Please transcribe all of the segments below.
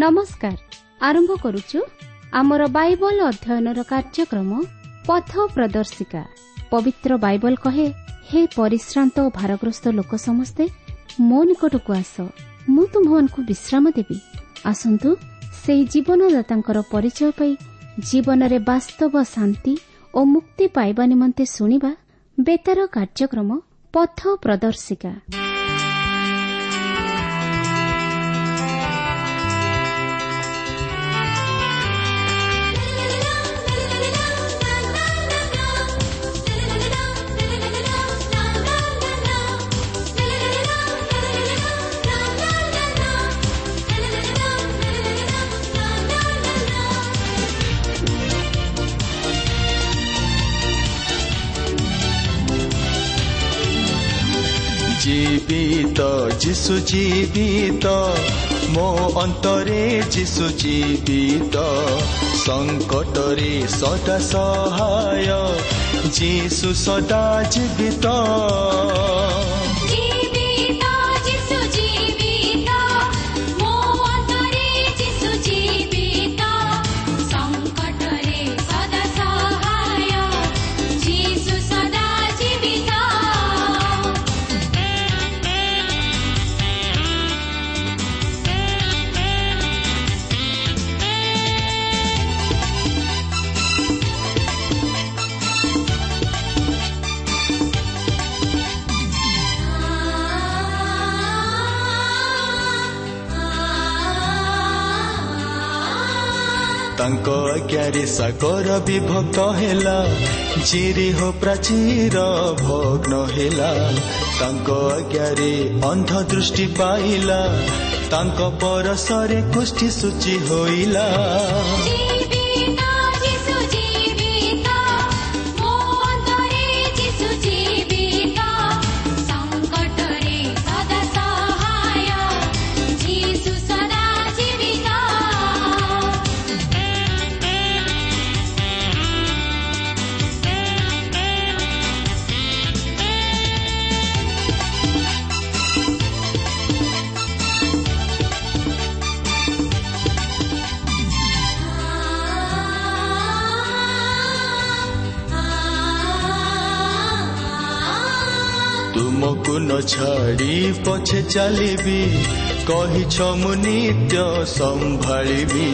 ନମସ୍କାର। ଆରମ୍ଭ କରୁଛୁ ଆମର ବାଇବଲ ଅଧ୍ୟୟନର କାର୍ଯ୍ୟକ୍ରମ ପଥ ପ୍ରଦର୍ଶିକା। ପବିତ୍ର ବାଇବଲ କହେ, ହେ ପରିଶ୍ରାନ୍ତ ଓ ଭାରଗ୍ରସ୍ତ ଲୋକ ସମସ୍ତେ ମୋ ନିକଟକୁ ଆସ, ମୁଁ ତୁମ୍ଭମାନଙ୍କୁ ବିଶ୍ରାମ ଦେବି। ଆସନ୍ତୁ ସେହି ଜୀବନଦାତାଙ୍କର ପରିଚୟ ପାଇ ଜୀବନରେ ବାସ୍ତବ ଶାନ୍ତି ଓ ମୁକ୍ତି ପାଇବା ନିମନ୍ତେ ଶୁଣିବା ବେତାର କାର୍ଯ୍ୟକ୍ରମ ପଥ ପ୍ରଦର୍ଶିକା। ଜୀବିତ ଯିଶୁ ଜୀବିତ, ମୋ ଅନ୍ତରେ ଯିଶୁ ଜୀବିତ, ସଙ୍କଟରେ ସଦା ସହାୟ ଯିଶୁ ସଦା ଜୀବିତ। ଜୀବିତ ଯିଶୁ ଜୀବିତ, ମୋ ଅନ୍ତରେ ଯିଶୁ ଜୀବିତ, ସଙ୍କଟରେ ସଦା ସହାୟ ଯିଶୁ ସଦା ଜୀବିତ। ତାଙ୍କ ଆଜ୍ଞାରେ ସାଗର ବିଭକ୍ତ ହେଲା, ଜିରିହ ପ୍ରାଚୀର ଭଗ୍ନ ହେଲା। ତାଙ୍କ ଆଜ୍ଞାରେ ଅନ୍ଧ ଦୃଷ୍ଟି ପାଇଲା, ତାଙ୍କ ପରଶରେ କୁଷ୍ଠି ସୂଚି ହୋଇଲା। ଜୀବିତ ଯିଶୁ ଜୀବିତ, ମୋ ଅନ୍ତରେ ଯିଶୁ ଜୀବିତ, ସଙ୍କଟରେ ସଦା ସହାୟ ଯିଶୁ ସଦା ଜୀବିତ। ତୁମକୁ ନ ଛାଡ଼ି ପଛେ ଚାଲିବି, କହିଛ ମୁଁ ନିତ୍ୟ ସମ୍ଭାଳିବି।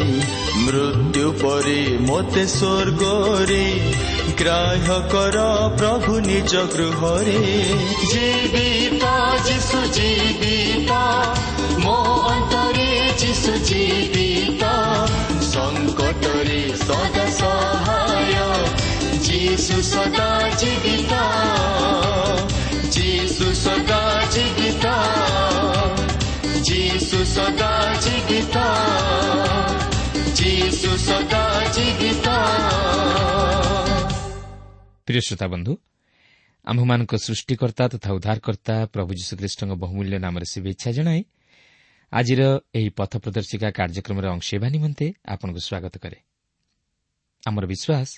ମୃତ୍ୟୁ ପରେ ମୋତେ ସ୍ୱର୍ଗରେ ଗ୍ରାହ୍ୟ କର ପ୍ରଭୁ ନିଜ ଗୃହରେ। ଜୀବିତ ଯିଶୁ ଜୀବିତ, ମୋ ଅନ୍ତରେ ଯିଶୁ ଜୀବିତ, ସଙ୍କଟରେ ସଦା ସହାୟ ଯିଶୁ ସଦା ଜୀବିତ। ଯିଶୁ ସଦା ଜୀବିତ, ଯିଶୁ ସଦା ଜୀବିତ, ଯିଶୁ ସଦା ଜୀବିତ। ପ୍ରିୟ ଶ୍ରୋତା ବନ୍ଧୁ, ଆମ୍ଭମାନଙ୍କ ସୃଷ୍ଟିକର୍ତ୍ତା ତଥା ଉଦ୍ଧାରକର୍ତ୍ତା ପ୍ରଭୁ ଯୀଶୁଖ୍ରୀଷ୍ଟଙ୍କ ବହୁମୂଲ୍ୟ ନାମରେ ଶୁଭେଚ୍ଛା ଜଣାଇ ଆଜିର ଏହି ପଥ ପ୍ରଦର୍ଶିକା କାର୍ଯ୍ୟକ୍ରମରେ ଅଂଶ ହେବା ନିମନ୍ତେ ଆପଣଙ୍କୁ ସ୍ୱାଗତ କରେ। ଆମର ବିଶ୍ୱାସ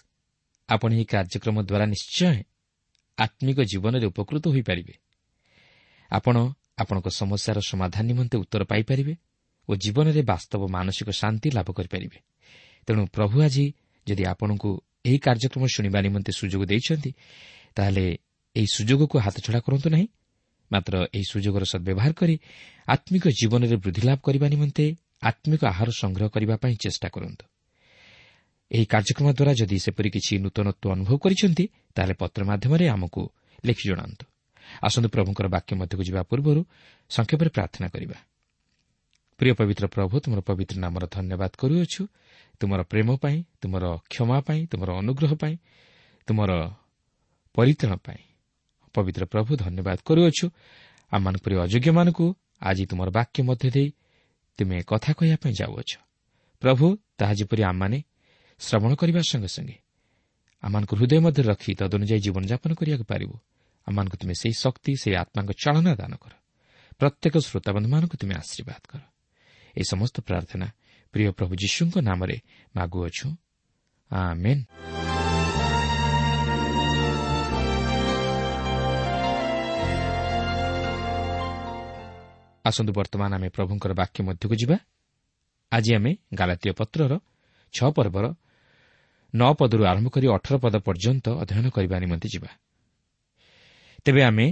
ଆପଣ ଏହି କାର୍ଯ୍ୟକ୍ରମ ଦ୍ୱାରା ନିଶ୍ଚୟ ଆତ୍ମିକ ଜୀବନରେ ଉପକୃତ ହୋଇପାରିବେ। ଆପଣ ଆପଣଙ୍କ ସମସ୍ୟାର ସମାଧାନ ନିମନ୍ତେ ଉତ୍ତର ପାଇପାରିବେ ଓ ଜୀବନରେ ବାସ୍ତବ ମାନସିକ ଶାନ୍ତି ଲାଭ କରିପାରିବେ। ତେଣୁ ପ୍ରଭୁ ଆଜି ଯଦି ଆପଣଙ୍କୁ ଏହି କାର୍ଯ୍ୟକ୍ରମ ଶୁଣିବା ନିମନ୍ତେ ସୁଯୋଗ ଦେଇଛନ୍ତି, ତାହେଲେ ଏହି ସୁଯୋଗକୁ ହାତଛଡ଼ା କରନ୍ତୁ ନାହିଁ, ମାତ୍ର ଏହି ସୁଯୋଗର ସଦ୍ବ୍ୟବହାର କରି ଆତ୍ମିକ ଜୀବନରେ ବୃଦ୍ଧି ଲାଭ କରିବା ନିମନ୍ତେ ଆତ୍ମିକ ଆହାର ସଂଗ୍ରହ କରିବା ପାଇଁ ଚେଷ୍ଟା କରନ୍ତୁ। ଏହି କାର୍ଯ୍ୟକ୍ରମ ଦ୍ୱାରା ଯଦି ସେପରି କିଛି ନୂତନତ୍ୱ ଅନୁଭବ କରିଛନ୍ତି, ତାହେଲେ ପତ୍ର ମାଧ୍ୟମରେ ଆମକୁ ଲେଖି ଜଣାନ୍ତୁ। ଆସନ୍ତୁ ପ୍ରଭୁଙ୍କର ବାକ୍ୟ ମଧ୍ୟକୁ ଯିବା ପୂର୍ବରୁ ସଂକ୍ଷେପରେ ପ୍ରାର୍ଥନା କରିବା। ପ୍ରିୟ ପବିତ୍ର ପ୍ରଭୁ, ତୁମର ପବିତ୍ର ନାମର ଧନ୍ୟବାଦ କରୁଅଛୁ, ତୁମର ପ୍ରେମ ପାଇଁ, ତୁମର କ୍ଷମା ପାଇଁ, ତୁମର ଅନୁଗ୍ରହ ପାଇଁ, ତୁମର ପରିତ୍ରାଣ ପାଇଁ। ପବିତ୍ର ପ୍ରଭୁ, ଧନ୍ୟବାଦ କରୁଅଛୁ ଆମମାନଙ୍କ ପରି ଅଯୋଗ୍ୟମାନଙ୍କୁ ଆଜି ତୁମର ବାକ୍ୟ ମଧ୍ୟ ଦେଇ ତୁମେ କଥା କହିବା ପାଇଁ ଯାଉଅଛ। ପ୍ରଭୁ, ତାହା ଯେପରି ଆମମାନେ ଶ୍ରବଣ କରିବା ସଙ୍ଗେ ସଙ୍ଗେ ଆମମାନଙ୍କୁ ହୃଦୟ ମଧ୍ୟରେ ରଖି ତଦନୁଯାୟୀ ଜୀବନଯାପନ କରିବାକୁ ପାରିବୁ, ଆମମାନଙ୍କୁ ତୁମେ ସେହି ଶକ୍ତି, ସେହି ଆତ୍ମାଙ୍କ ଚାଳନା ଦାନ କର। ପ୍ରତ୍ୟେକ ଶ୍ରୋତାବନ୍ଧୁମାନଙ୍କୁ ତୁମେ ଆଶୀର୍ବାଦ କର। ଏହି ସମସ୍ତ ପ୍ରାର୍ଥନା ପ୍ରିୟ ପ୍ରଭୁ ଯୀଶୁଙ୍କ ନାମରେ ମାଗୁଅଛୁ, ଆମେନ୍। ଆସନ୍ତୁ ବର୍ତ୍ତମାନ ଆମେ ପ୍ରଭୁଙ୍କର ବାକ୍ୟ ମଧ୍ୟକୁ ଯିବା। ଆଜି ଆମେ ଗାଲାତୀୟ ପତ୍ରର 6 ପର୍ବର 9 ପଦରୁ ଆରମ୍ଭ କରି 18 ପଦ ପର୍ଯ୍ୟନ୍ତ ଅଧ୍ୟୟନ କରିବା ନିମନ୍ତେ ଯିବା। ତେବେ ଆମେ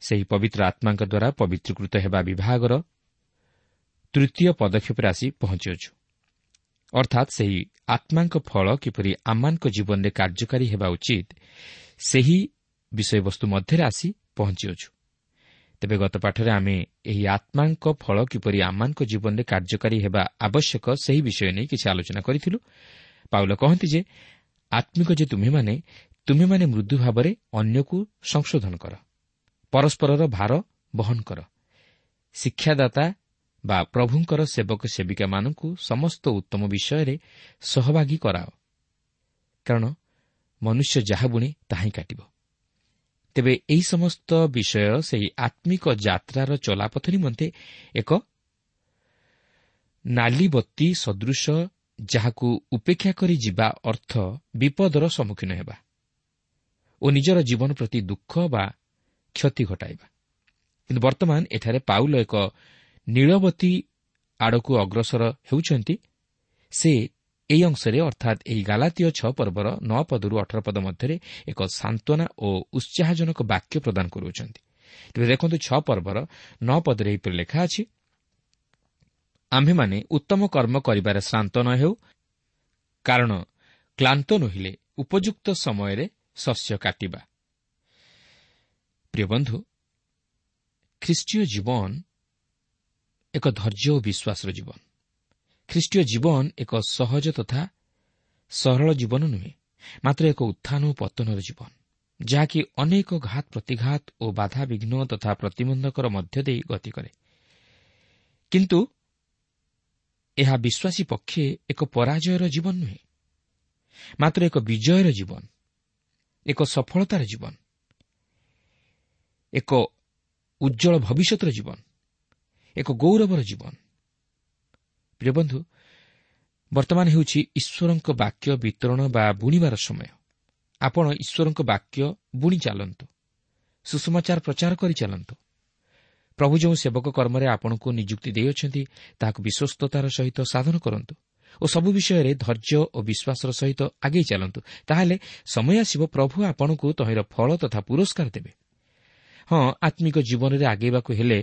ସେହି ପବିତ୍ର ଆତ୍ମାଙ୍କ ଦ୍ୱାରା ପବିତ୍ରୀକୃତ ହେବା ବିଭାଗର ତୃତୀୟ ପଦକ୍ଷେପରେ ଆସି ପହଞ୍ଚିଅଛୁ। ଅର୍ଥାତ୍ ସେହି ଆତ୍ମାଙ୍କ ଫଳ କିପରି ଆମମାନଙ୍କ ଜୀବନରେ କାର୍ଯ୍ୟକାରୀ ହେବା ଉଚିତ, ସେହି ବିଷୟବସ୍ତୁ ମଧ୍ୟରେ ଆସି ପହଞ୍ଚିଅଛୁ। ତେବେ ଗତ ପାଠରେ ଆମେ ଏହି ଆତ୍ମାଙ୍କ ଫଳ କିପରି ଆମମାନଙ୍କ ଜୀବନରେ କାର୍ଯ୍ୟକାରୀ ହେବା ଆବଶ୍ୟକ ସେହି ବିଷୟ ନେଇ କିଛି ଆଲୋଚନା କରିଥିଲୁ। ପାଉଲ କହନ୍ତି ଯେ ଆତ୍ମିକ ଯେ ତୁମେମାନେ ମୃଦୁ ଭାବରେ ଅନ୍ୟକୁ ସଂଶୋଧନ କର, ପରସ୍ପରର ଭାର ବହନ କର, ଶିକ୍ଷାଦାତା ବା ପ୍ରଭୁଙ୍କର ସେବକ ସେବିକାମାନଙ୍କୁ ସମସ୍ତ ଉତ୍ତମ ବିଷୟରେ ସହଭାଗୀ କରାଅ, କାରଣ ମନୁଷ୍ୟ ଯାହା ବୁଣେ ତାହା ହିଁ କାଟିବ। ତେବେ ଏହି ସମସ୍ତ ବିଷୟ ସେହି ଆତ୍ମିକ ଯାତ୍ରାର ଚଲାପଥ ନିମନ୍ତେ ଏକ ନାଲିବତୀ ସଦୃଶ, ଯାହାକୁ ଉପେକ୍ଷା କରି ଯିବା ଅର୍ଥ ବିପଦର ସମ୍ମୁଖୀନ ହେବା ଓ ନିଜର ଜୀବନ ପ୍ରତି ଦୁଃଖ ବା କ୍ଷତି ଘଟାଇବା। କିନ୍ତୁ ବର୍ତ୍ତମାନ ଏଠାରେ ପାଉଲ ଏକ ନୀଳବତୀ ଆଡ଼କୁ ଅଗ୍ରସର ହେଉଛନ୍ତି। ସେ ଏହି ଅଂଶରେ ଅର୍ଥାତ୍ ଏହି ଗାଲାତୀୟ 6 ପର୍ବର 9 ପଦରୁ 18 ପଦ ମଧ୍ୟରେ ଏକ ସାନ୍ତ୍ୱନା ଓ ଉତ୍ସାହଜନକ ବାକ୍ୟ ପ୍ରଦାନ କରୁଅଛନ୍ତି। ତେବେ ଦେଖନ୍ତୁ 6 ପର୍ବର 9 ପଦରେ ଏହିପରି ଲେଖା ଅଛି, ଆମ୍ଭେମାନେ ଉତ୍ତମ କର୍ମ କରିବାରେ ଶ୍ରାନ୍ତ ନ ହେଉ, କାରଣ କ୍ଳାନ୍ତ ନୋହିଲେ ଉପଯୁକ୍ତ ସମୟରେ ଶସ୍ୟ କାଟିବା। ପ୍ରିୟ ବନ୍ଧୁ, ଖ୍ରୀଷ୍ଟୀୟ ଜୀବନ ଏକ ଧୈର୍ଯ୍ୟ ଓ ବିଶ୍ୱାସର ଜୀବନ। ଖ୍ରୀଷ୍ଟୀୟ ଜୀବନ ଏକ ସହଜ ତଥା ସରଳ ଜୀବନ ନୁହେଁ, ମାତ୍ର ଏକ ଉତ୍ଥାନ ଓ ପତନର ଜୀବନ, ଯାହାକି ଅନେକ ଘାତ ପ୍ରତିଘାତ ଓ ବାଧାବିଘ୍ନ ତଥା ପ୍ରତିବନ୍ଧକର ମଧ୍ୟ ଦେଇ ଗତି କରେ। କିନ୍ତୁ ଏହା ବିଶ୍ୱାସୀ ପକ୍ଷେ ଏକ ପରାଜୟର ଜୀବନ ନୁହେଁ, ମାତ୍ର ଏକ ବିଜୟର ଜୀବନ, ଏକ ସଫଳତାର ଜୀବନ, ଏକ ଉଜ୍ଜଳ ଭବିଷ୍ୟତର ଜୀବନ, ଏକ ଗୌରବର ଜୀବନ। ପ୍ରିୟ ବନ୍ଧୁ, ବର୍ତ୍ତମାନ ହେଉଛି ଈଶ୍ୱରଙ୍କ ବାକ୍ୟ ବିତରଣ ବା ବୁଣିବାର ସମୟ। ଆପଣ ଈଶ୍ୱରଙ୍କ ବାକ୍ୟ ବୁଣି ଚାଲନ୍ତୁ, ସୁସମାଚାର ପ୍ରଚାର କରି ଚାଲନ୍ତୁ। ପ୍ରଭୁ ଯେଉଁ ସେବକ କର୍ମରେ ଆପଣଙ୍କୁ ନିଯୁକ୍ତି ଦେଇଅଛନ୍ତି ତାହାକୁ ବିଶ୍ୱସ୍ତତାର ସହିତ ସାଧନ କରନ୍ତୁ ଓ ସବୁ ବିଷୟରେ ଧୈର୍ଯ୍ୟ ଓ ବିଶ୍ୱାସର ସହିତ ଆଗେଇ ଚାଲନ୍ତୁ। ତାହେଲେ ସମୟ ଆସିବ ପ୍ରଭୁ ଆପଣଙ୍କୁ ତହିଁର ଫଳ ତଥା ପୁରସ୍କାର ଦେବେ। ହଁ, ଆତ୍ମିକ ଜୀବନରେ ଆଗେଇବାକୁ ହେଲେ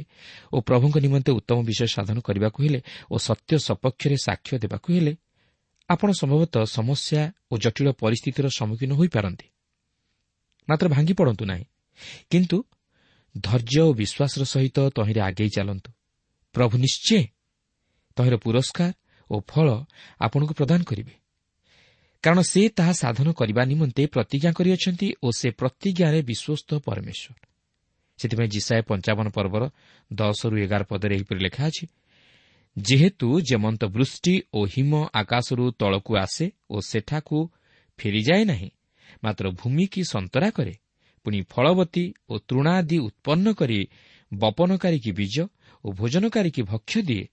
ଓ ପ୍ରଭୁଙ୍କ ନିମନ୍ତେ ଉତ୍ତମ ବିଷୟ ସାଧନ କରିବାକୁ ହେଲେ ଓ ସତ୍ୟ ସପକ୍ଷରେ ସାକ୍ଷ୍ୟ ଦେବାକୁ ହେଲେ ଆପଣ ସମ୍ଭବତଃ ସମସ୍ୟା ଓ ଜଟିଳ ପରିସ୍ଥିତିର ସମ୍ମୁଖୀନ ହୋଇପାରନ୍ତି। ମାତ୍ର ଭାଙ୍ଗି ପଡ଼ନ୍ତୁ ନାହିଁ, କିନ୍ତୁ ଧୈର୍ଯ୍ୟ ଓ ବିଶ୍ୱାସର ସହିତ ତହିଁରେ ଆଗେଇ ଚାଲନ୍ତୁ। ପ୍ରଭୁ ନିଶ୍ଚୟ ତହିଁର ପୁରସ୍କାର ଓ ଫଳ ଆପଣଙ୍କୁ ପ୍ରଦାନ କରିବେ, କାରଣ ସେ ତାହା ସାଧନ କରିବା ନିମନ୍ତେ ପ୍ରତିଜ୍ଞା କରିଅଛନ୍ତି ଓ ସେ ପ୍ରତିଜ୍ଞାରେ ବିଶ୍ୱସ୍ତ ପରମେଶ୍ୱର। ସେଥିପାଇଁ ଯିଶାଇୟ 55 ପର୍ବର 10ରୁ 11 ପଦରେ ଏହିପରି ଲେଖା ଅଛି, ଯେହେତୁ ଯେମନ୍ତ ବୃଷ୍ଟି ଓ ହିମ ଆକାଶରୁ ତଳକୁ ଆସେ ଓ ସେଠାକୁ ଫେରିଯାଏ ନାହିଁ, ମାତ୍ର ଭୂମିକି ସନ୍ତରା କରେ, ପୁଣି ଫଳବତୀ ଓ ତୃଣାଦି ଉତ୍ପନ୍ନ କରି ବପନକାରୀକି ବୀଜ ଓ ଭୋଜନକାରୀକି ଭକ୍ଷ୍ୟ ଦିଏ,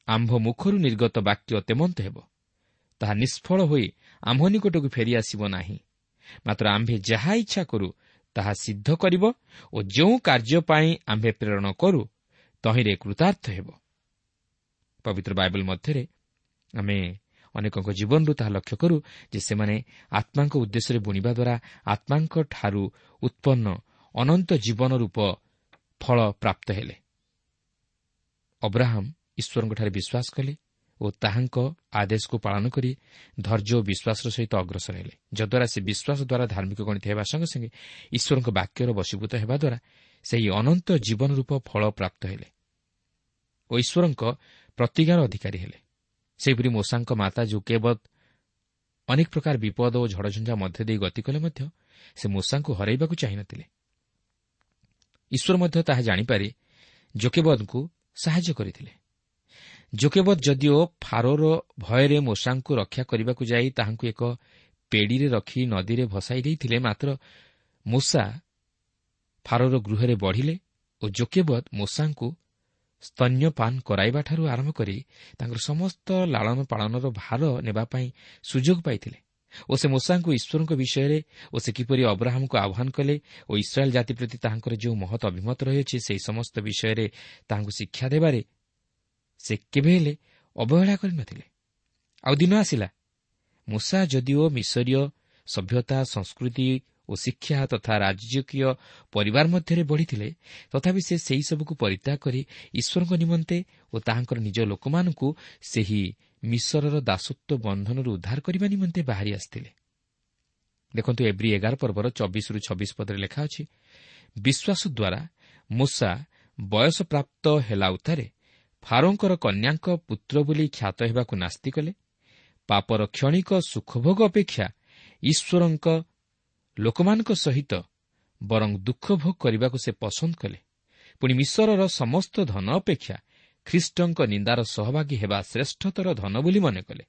ଆମ୍ଭ ମୁଖରୁ ନିର୍ଗତ ବାକ୍ୟ ତେମନ୍ତ ହେବ, ତାହା ନିଷ୍ଫଳ ହୋଇ ଆମ୍ଭ ନିକଟକୁ ଫେରିଆସିବ ନାହିଁ, ମାତ୍ର ଆମ୍ଭେ ଯାହା ଇଚ୍ଛା କରୁ ତାହା ସିଦ୍ଧ କରିବ ଓ ଯେଉଁ କାର୍ଯ୍ୟ ପାଇଁ ଆମ୍ଭେ ପ୍ରେରଣ କରୁ ତହିଁରେ କୃତାର୍ଥ ହେବ। ପବିତ୍ର ବାଇବଲ ମଧ୍ୟରେ ଆମେ ଅନେକଙ୍କ ଜୀବନରୁ ତାହା ଲକ୍ଷ୍ୟ କରୁ ଯେ ସେମାନେ ଆତ୍ମାଙ୍କ ଉଦ୍ଦେଶ୍ୟରେ ବୁଣିବା ଦ୍ୱାରା ଆତ୍ମାଙ୍କଠାରୁ ଉତ୍ପନ୍ନ ଅନନ୍ତ ଜୀବନ ରୂପ ଫଳ ପ୍ରାପ୍ତ ହେଲେ। ଅବ୍ରାହମ ଈଶ୍ୱରଙ୍କଠାରେ ବିଶ୍ୱାସ କଲେ ଓ ତାହାଙ୍କ ଆଦେଶକୁ ପାଳନ କରି ଧୈର୍ଯ୍ୟ ଓ ବିଶ୍ୱାସର ସହିତ ଅଗ୍ରସର ହେଲେ, ଯଦ୍ୱାରା ସେ ବିଶ୍ୱାସ ଦ୍ୱାରା ଧାର୍ମିକ ଗଣିତ ହେବା ସଙ୍ଗେ ସଙ୍ଗେ ଈଶ୍ୱରଙ୍କ ବାକ୍ୟର ବଶୀଭୂତ ହେବା ଦ୍ୱାରା ସେହି ଅନନ୍ତ ଜୀବନ ରୂପ ଫଳ ପ୍ରାପ୍ତ ହେଲେ ଓ ଈଶ୍ୱରଙ୍କ ପ୍ରତିଜ୍ଞାର ଅଧିକାରୀ ହେଲେ। ସେହିପରି ମୋଶାଙ୍କ ମାତା ଯୋକେବଦ ଅନେକ ପ୍ରକାର ବିପଦ ଓ ଝଡ଼ଝଞ୍ଜା ମଧ୍ୟ ଦେଇ ଗତି କଲେ ମଧ୍ୟ ସେ ମୋଶାଙ୍କୁ ହରାଇବାକୁ ଚାହିଁନଥିଲେ। ଈଶ୍ୱର ମଧ୍ୟ ତାହା ଜାଣିପାରି ଯୋକେବଦଙ୍କୁ ସାହାଯ୍ୟ କରିଥିଲେ। ଯୋକେବଦ ଯଦିଓ ଫାରୋର ଭୟରେ ମୋଶାଙ୍କୁ ରକ୍ଷା କରିବାକୁ ଯାଇ ତାହାଙ୍କୁ ଏକ ପେଡ଼ିରେ ରଖି ନଦୀରେ ଭସାଇ ଦେଇଥିଲେ, ମାତ୍ର ମୋଶା ଫାରୋର ଗୃହରେ ବଢ଼ିଲେ ଓ ଯୋକେବଦ ମୋଶାଙ୍କୁ ସ୍ତନ୍ୟପାନ କରାଇବାଠାରୁ ଆରମ୍ଭ କରି ତାଙ୍କର ସମସ୍ତ ଲାଳନ ପାଳନର ଭାର ନେବା ପାଇଁ ସୁଯୋଗ ପାଇଥିଲେ ଓ ସେ ମୋଶାଙ୍କୁ ଈଶ୍ୱରଙ୍କ ବିଷୟରେ ଓ ସେ କିପରି ଅବ୍ରାହମକୁ ଆହ୍ୱାନ କଲେ ଓ ଇସ୍ରାଏଲ୍ ଜାତି ପ୍ରତି ତାହାଙ୍କର ଯେଉଁ ମହତ୍ ଅଭିମତ ରହିଅଛି ସେହି ସମସ୍ତ ବିଷୟରେ ତାହାଙ୍କୁ ଶିକ୍ଷା ଦେବାରେ ସେ କେବେ ହେଲେ ଅବହେଳା କରିନଥିଲେ। ଆଉ ଦିନ ଆସିଲା, ମୂଷା ଯଦିଓ ମିଶରୀୟ ସଭ୍ୟତା, ସଂସ୍କୃତି ଓ ଶିକ୍ଷା ତଥା ରାଜକୀୟ ପରିବାର ମଧ୍ୟରେ ବଢ଼ିଥିଲେ, ତଥାପି ସେ ସେହିସବୁକୁ ପରିତ୍ୟାଗ କରି ଈଶ୍ୱରଙ୍କ ନିମନ୍ତେ ଓ ତାହାଙ୍କର ନିଜ ଲୋକମାନଙ୍କୁ ସେହି ମିଶରର ଦାସତ୍ୱ ବନ୍ଧନରୁ ଉଦ୍ଧାର କରିବା ନିମନ୍ତେ ବାହାରି ଆସିଥିଲେ। ଦେଖନ୍ତୁ, ଏବ୍ରୀ 11 ପର୍ବର 24ରୁ 26 ପଦରେ ଲେଖା ଅଛି, ବିଶ୍ୱାସ ଦ୍ୱାରା ମୂଷା ବୟସପ୍ରାପ୍ତ ହେଲା ଉତ୍ତାରେ ଫାରୋଙ୍କର କନ୍ୟାଙ୍କ ପୁତ୍ର ବୋଲି ଖ୍ୟାତ ହେବାକୁ ନାସ୍ତି କଲେ। ପାପର କ୍ଷଣିକ ସୁଖଭୋଗ ଅପେକ୍ଷା ଈଶ୍ୱରଙ୍କ ଲୋକମାନଙ୍କ ସହିତ ବରଂ ଦୁଃଖ ଭୋଗ କରିବାକୁ ସେ ପସନ୍ଦ କଲେ। ପୁଣି ମିଶରର ସମସ୍ତ ଧନ ଅପେକ୍ଷା ଖ୍ରୀଷ୍ଟଙ୍କ ନିନ୍ଦାର ସହଭାଗୀ ହେବା ଶ୍ରେଷ୍ଠତର ଧନ ବୋଲି ମନେ କଲେ,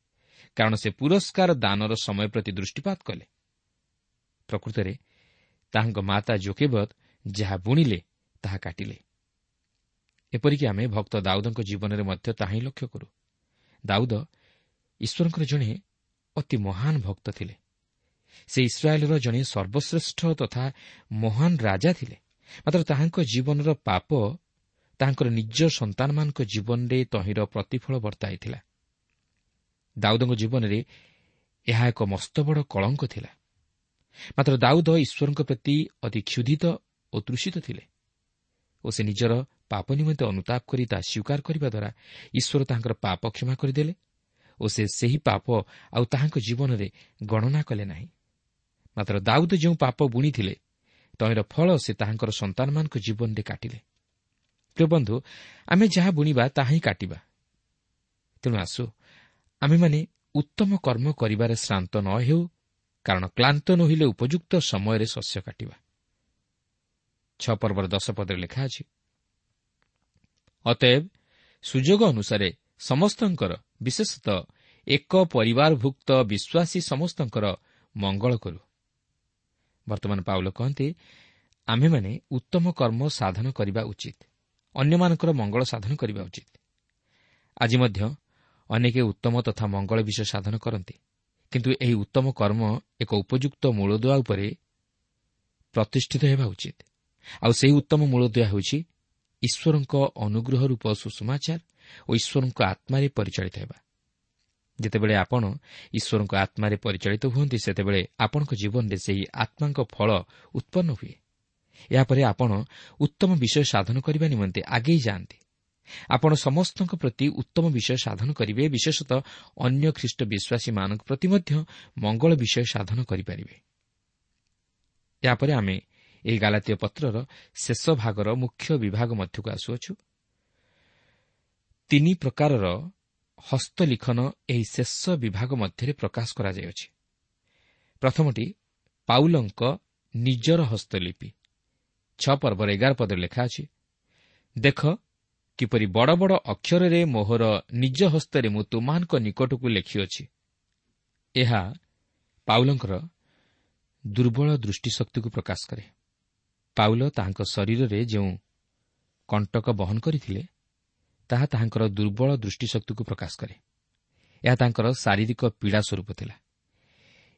କାରଣ ସେ ପୁରସ୍କାର ଦାନର ସମୟ ପ୍ରତି ଦୃଷ୍ଟିପାତ କଲେ। ପ୍ରକୃତରେ ତାହାଙ୍କ ମାତା ଜୋକେବଦ ଯାହା ବୁଣିଲେ ତାହା କାଟିଲେ। ଏପରିକି ଆମେ ଭକ୍ତ ଦାଉଦଙ୍କ ଜୀବନରେ ମଧ୍ୟ ତାହା ହିଁ ଲକ୍ଷ୍ୟ କରୁ। ଦାଉଦ ଈଶ୍ୱରଙ୍କର ଜଣେ ଅତି ମହାନ ଭକ୍ତ ଥିଲେ। ସେ ଇସ୍ରାଏଲର ଜଣେ ସର୍ବଶ୍ରେଷ୍ଠ ତଥା ମହାନ ରାଜା ଥିଲେ। ମାତ୍ର ତାହାଙ୍କ ଜୀବନର ପାପ ତାହାଙ୍କର ନିଜ ସନ୍ତାନମାନଙ୍କ ଜୀବନରେ ତହିଁର ପ୍ରତିଫଳ ବର୍ତ୍ତାଇଥିଲା। ଦାଉଦଙ୍କ ଜୀବନରେ ଏହା ଏକ ମସ୍ତବଡ଼ କଳଙ୍କ ଥିଲା। ମାତ୍ର ଦାଉଦ ଈଶ୍ୱରଙ୍କ ପ୍ରତି ଅତି କ୍ଷୁଧିତ ଓ ତୃଷିତ ଥିଲେ ଓ ସେ ନିଜର ପାପ ନିମନ୍ତେ ଅନୁତାପ କରି ତାହା ସ୍ୱୀକାର କରିବା ଦ୍ୱାରା ଈଶ୍ୱର ତାହାଙ୍କର ପାପ କ୍ଷମା କରିଦେଲେ ଓ ସେ ସେହି ପାପ ଆଉ ତାହାଙ୍କ ଜୀବନରେ ଗଣନା କଲେ ନାହିଁ। ମାତ୍ର ଦାଉଦ ଯେଉଁ ପାପ ବୁଣିଥିଲେ ତହିଁର ଫଳ ସେ ତାହାଙ୍କର ସନ୍ତାନମାନଙ୍କ ଜୀବନରେ କାଟିଲେ। ପ୍ରିୟ ବନ୍ଧୁ, ଆମେ ଯାହା ବୁଣିବା ତାହା ହିଁ କାଟିବା। ତେଣୁ ଆସୁ ଆମେମାନେ ଉତ୍ତମ କର୍ମ କରିବାରେ ଶ୍ରାନ୍ତ ନ ହେଉ, କାରଣ କ୍ଳାନ୍ତ ନୋହିଲେ ଉପଯୁକ୍ତ ସମୟରେ ଶସ୍ୟ କାଟିବା। 6 ପର୍ବର 10 ପଦରେ ଲେଖା ଅଛି, ଅତଏବ ସୁଯୋଗ ଅନୁସାରେ ସମସ୍ତଙ୍କର, ବିଶେଷତଃ ଏକ ପରିବାରଭୁକ୍ତ ବିଶ୍ୱାସୀ ସମସ୍ତଙ୍କର ମଙ୍ଗଳ କରୁ। ବର୍ତ୍ତମାନ ପାଉଲ କହନ୍ତି, ଆମ୍ଭେମାନେ ଉତ୍ତମ କର୍ମ ସାଧନ କରିବା ଉଚିତ, ଅନ୍ୟମାନଙ୍କର ମଙ୍ଗଳ ସାଧନ କରିବା ଉଚିତ। ଆଜି ମଧ୍ୟ ଅନେକ ଉତ୍ତମ ତଥା ମଙ୍ଗଳ ବିଷୟ ସାଧନ କରନ୍ତି, କିନ୍ତୁ ଏହି ଉତ୍ତମ କର୍ମ ଏକ ଉପଯୁକ୍ତ ମୂଳଦୁଆ ଉପରେ ପ୍ରତିଷ୍ଠିତ ହେବା ଉଚିତ। ଆଉ ସେହି ଉତ୍ତମ ମୂଳଦୁଆ ହେଉଛି ଈଶ୍ୱରଙ୍କ ଅନୁଗ୍ରହ ରୂପ ସୁସମାଚାର ଓ ଈଶ୍ୱରଙ୍କ ଆତ୍ମାରେ ପରିଚାଳିତ ହେବା। ଯେତେବେଳେ ଆପଣ ଈଶ୍ୱରଙ୍କ ଆତ୍ମାରେ ପରିଚାଳିତ ହୁଅନ୍ତି, ସେତେବେଳେ ଆପଣଙ୍କ ଜୀବନରେ ସେହି ଆତ୍ମାଙ୍କ ଫଳ ଉତ୍ପନ୍ନ ହୁଏ। ଏହାପରେ ଆପଣ ଉତ୍ତମ ବିଷୟ ସାଧନ କରିବା ନିମନ୍ତେ ଆଗେଇ ଯାଆନ୍ତି। ଆପଣ ସମସ୍ତଙ୍କ ପ୍ରତି ଉତ୍ତମ ବିଷୟ ସାଧନ କରିବେ, ବିଶେଷତଃ ଅନ୍ୟ ଖ୍ରୀଷ୍ଟ ବିଶ୍ୱାସୀମାନଙ୍କ ପ୍ରତି ମଧ୍ୟ ମଙ୍ଗଳ ବିଷୟ ସାଧନ କରିପାରିବେ। ଏହାପରେ ଆମେ ଏହି ଗାଲାତୀୟ ପତ୍ରର ଶେଷ ଭାଗର ମୁଖ୍ୟ ବିଭାଗ ମଧ୍ୟକୁ ଆସୁଅଛୁ। 3 ପ୍ରକାରର ହସ୍ତଲିଖନ ଏହି ଶେଷ ବିଭାଗ ମଧ୍ୟରେ ପ୍ରକାଶ କରାଯାଇଅଛି। ପ୍ରଥମଟି ପାଉଲଙ୍କ ନିଜର ହସ୍ତଲିପି। 6 ପର୍ବର 11 ପଦରେ ଲେଖା ଅଛି, ଦେଖ କିପରି ବଡ଼ ବଡ଼ ଅକ୍ଷରରେ ମୋହର ନିଜ ହସ୍ତରେ ମୁଁ ତୁମମାନଙ୍କ ନିକଟକୁ ଲେଖିଅଛି। ଏହା ପାଉଲଙ୍କର ଦୁର୍ବଳ ଦୃଷ୍ଟିଶକ୍ତିକୁ ପ୍ରକାଶ କରେ। ପାଉଲ ତାହାଙ୍କ ଶରୀରରେ ଯେଉଁ କଣ୍ଟକ ବହନ କରିଥିଲେ, ତାହା ତାହାଙ୍କର ଦୁର୍ବଳ ଦୃଷ୍ଟିଶକ୍ତିକୁ ପ୍ରକାଶ କରେ। ଏହା ତାଙ୍କର ଶାରୀରିକ ପୀଡ଼ା ସ୍ୱରୂପ ଥିଲା।